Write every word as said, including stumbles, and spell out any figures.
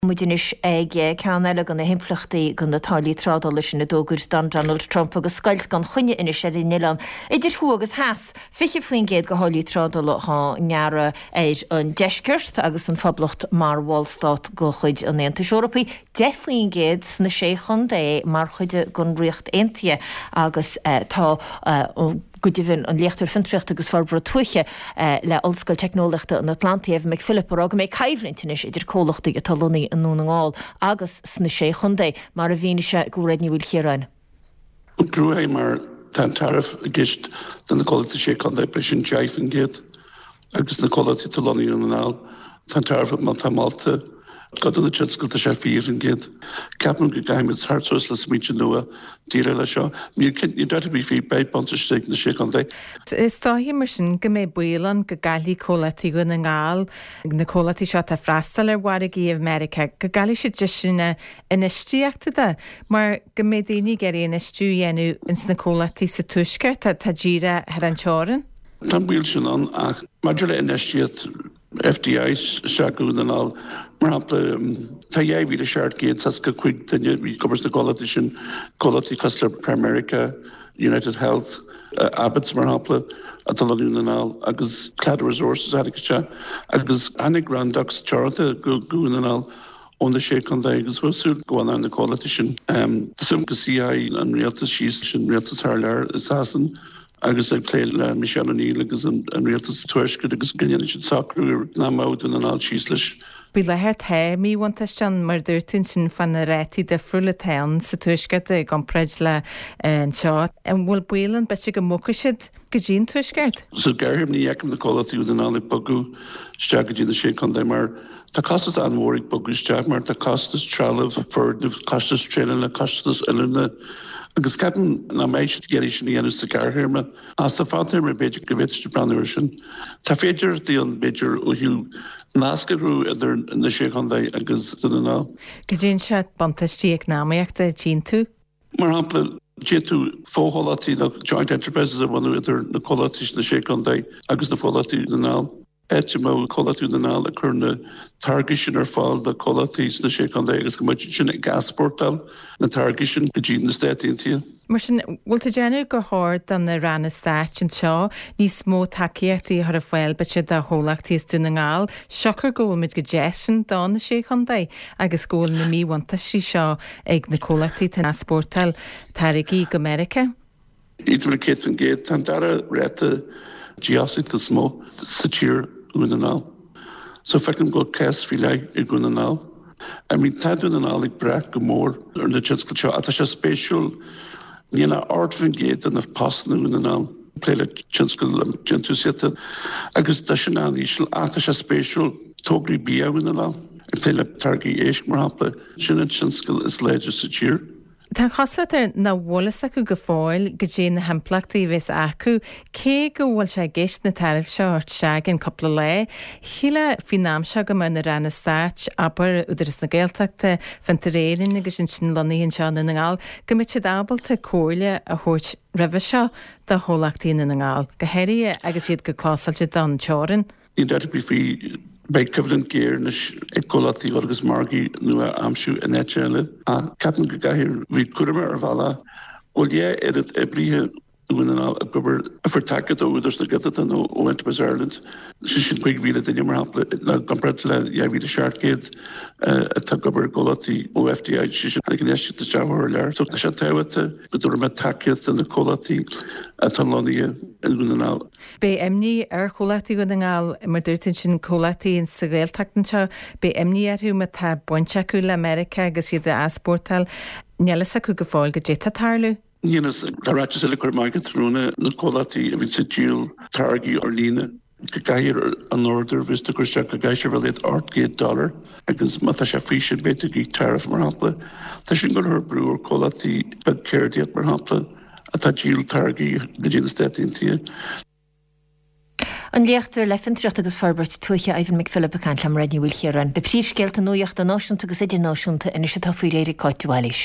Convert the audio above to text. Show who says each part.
Speaker 1: Muid anois ag ceann eile de na himpleachtaí de na táillí trádála sin a d'fhógair Donald Trump agus scoilt gan choinne anois ar an oileán idir thuaidh agus theas. fiche faoin gcéad de tháillí trádála á ngearradh ar an deisceart agus an Phoblacht mar bhallstát de chuid an Aontais Eorpaigh, deich faoin gcéad sna Sé Chontae mar chuid den Ríocht Aontaithe agus tá go deimhin an Léachtóir Fiontraíochta agus Forbartha Tuaithe le Ollscoil Teicneolaíochta an Atlantaigh, Evan McPhillip, ag rá go mbeidh coimhlint anois idir comhlachtaí atá lonnaithe i nDún na nGall agus sna Sé Chontae, mar a mhínigh sé do Mhairéad Ní Mhaoilchiaráin.
Speaker 2: Crua é mar tá an tariff i gceist do na comhlachtaí Sé Chontae, beidh sin deich faoin gcéad agus na comhlachtaí atá lonnaithe i Ndún na nGall, tá an tariff má tá molta. Cuid de na tionscail tá sé fiche faoin gcéad. Ceapaim go gcaithfimid teacht suas le smaointe nua déileáil leis seo. Níl níl dabht ar bith faoi, beidh buntáiste ag na Sé Chontae.
Speaker 3: Is dóichí mar sin go mbeidh baol ann go gcaillfidh comhlachtaí Dhún na nGall, na comhlachtaí seo atá ag freastal ar mhargaí i Meiriceá, go gcaillfidh siad deiseanna infheistíochta de mar go mbeidh daoine ag iarraidh infheistiú a dhéanamh ins na comhlachtaí sa Tuaisceart atá díreach thar an teorainn.
Speaker 2: Tá an baol sin ann ach maidir le infheistíocht, FDI isteach go Dún na nGall. Mar shampla, tá dhá mhíle seacht gcéad seasca cúig duine ag obair sna comhlachtaí sin, comhlachtaí cosúil le Primerica, United Health, Abbott's mar shampla, atá lonnaithe i Dún na nGall, agus Claddagh Resources a tháinig isteach, agus tháinig Randox Teoranta go Dún na nGall ó na Sé Chontae agus bhfuil súil go bhfanfaidh na comhlachtaí sin. Tá súil go suífidh an rialtas síos leis an rialtas thar lear i Sasain agus ag plé le Michelle O'Neill agus an rialtas tuaiscirt agus go ndéanfaidh siad socrú nach mbeadh Dún na nGall síos leis.
Speaker 3: Faoi láthair tá míbhuntáiste ann, mar a dúirt tú ansin fá na rátaí difriúla atá ann sa tuaisceart i gcomparáid le anseo. An bhfuil baol ann b'fhéidir go mbogfaidh siad go dtí an tuaisceart?
Speaker 2: Sa ghearrthéarma ní fheicim na comhlachtaí Dhún na nGall ag bogadh isteach go dtí na Sé Chontae mar tá costas an-mhór ag bogadh isteach mar tá costas trealamh, foirgneamh, costas traenála, costas oiliúna. Agus ceapaim nach mbeidh siad ag iarraidh sin a dhéanamh sa ghearrthéarma. Ach sa fadtéarma b'fhéidir go bhféadfaidh siad breathnú air sin. Tá féidearthachtaí ann b'fhéidir ó thaobh nasc a chruthú idir na Sé Chontae agus Dún na nGall.
Speaker 3: Go dtéann sé buntáistí eacnamaíochta a d'aontú.
Speaker 2: Mar shampla, d'fhéadfadh fochomhlachtaí nó joint enterprises a bhunú idir na comhlachtaí sna Sé Chontae agus na comhlachtaí Dhún na nGall. áit a mbeadh comhlachtaí Dhún na nGall ag cur na táirgí sin ar fáil do chomhlachtaí sna Sé Chontae agus go mbeadh siad sin ag easpórtáil na táirgí sin go dtí na Stáit Aontaithe.
Speaker 3: Mar sin, bhfuil tú ag déanamh gur chóir do na ranna stáit anseo níos mó tacaíochtaí a chur ar fáil b'fhéidir do chomhlachtaí as Dún na nGall, siocair go bhfuil muid chomh deas sin do na Sé Chontae agus go bhfuil na míbhuntáistí seo ag na comhlachtaí atá ag easpórtáil táirgí go Meiriceá?
Speaker 2: Aontaím leat céad faoin gcéad. Tá an dara ráta dífhostaíochta is mó sa tír Dhún na nGall. So feicim go bhfuil cás faoi leith i Dhún na nGall. I mean tá Dún na nGall ag brath go mór ar na tionscail seo ach tá sé spéisiúil níl ach ocht faoin gcéad de na postanna i Dhún na nGall ag plé le tionscal déantúsaíochta agus tá sin an-íseal ach tá sé spéisiúil tograí bia Dhún na nGall ag plé le táirgí éisc mar shampla sin an tionscal is láidre sa tír.
Speaker 3: Tá an chosúlacht air nach bhfuil fhios acu go fóill goidé na himpleachtaí a bheas acu, cé go bhfuil sé i gceist na taraifí seo a thabhairt isteach i gceann cúpla lá. Shílfeá faoin am seo go mbeadh na ranna stáit, abair, Údarás na Gaeltachta, Fiontar Éireann agus ansin lonnaithe anseo i nDún na nGall, go mbeadh siad ábalta comhairle a thabhairt roimhe seo do chomhlachtaí i nDún na nGall, go háirithe agus iad chomh clósáilte don teorainn.
Speaker 2: Níl dabht ar bith faoi, beidh coimhlint ghéar anois ag comhlachtaí agus margaí nua a aimsiú in áit eile. Ach ceapaim go gcaithfidh bheith cúramach ar bhealach go bhfuil dhá oiread oibrithe i nDún na nGall ag obair a fuair tacaíocht ó Údarás na Gaeltachta nó ó Enterprise Ireland, sé sin cúig mhíle duine mar shampla, i gcomparáid le dhá mhíle seacht gcéad atá ag obair i gcomhlachtaí ó FDI, sé sin tháinig infheistíocht isteach ó thar lear. So tá sé tábhachtach go dtabharfaidh mé tacaíocht do na comhlachtaí atá lonnaithe i nDún na nGall.
Speaker 3: Beidh imní ar chomhlachtaí Dhún na nGall, mar dúirt tú ansin, comhlachtaí sa Ghaeltacht anseo, beidh imní orthu má tá baint acu le Meiriceá agus iad ag easpórtáil. Níl fhios acu go fóill goidé atá ag tarlú.
Speaker 2: Níl fhios. Tá ráiteas eile curtha amach ag tráthnóna na comhlachtaí a bhíonns ag díol táirgí ar líne go gcaithfidh an order a bheas tú ag cur isteach go gcaithfidh sé a bheith ar a laghad ocht gcéad dollar agus má tá sé faoi sin beidh tú ag íoc tariff mar shampla. Tá sin ag cur brú ar chomhlachtaí beag ceardaíocht mar shampla. atá ag díol táirgí go dtí na Stáit Aontaithe.
Speaker 1: An Léachtóir le Fiontraíocht agus Forbairt Tuaithe Ivan McPhillip ag caint le Mairéad Ní Mhaoilchiaráin. Na príomhscéalta nuachta náisiúnta agus idirnáisiúnta anois atá faoi réir ag Cáit de Bhailís.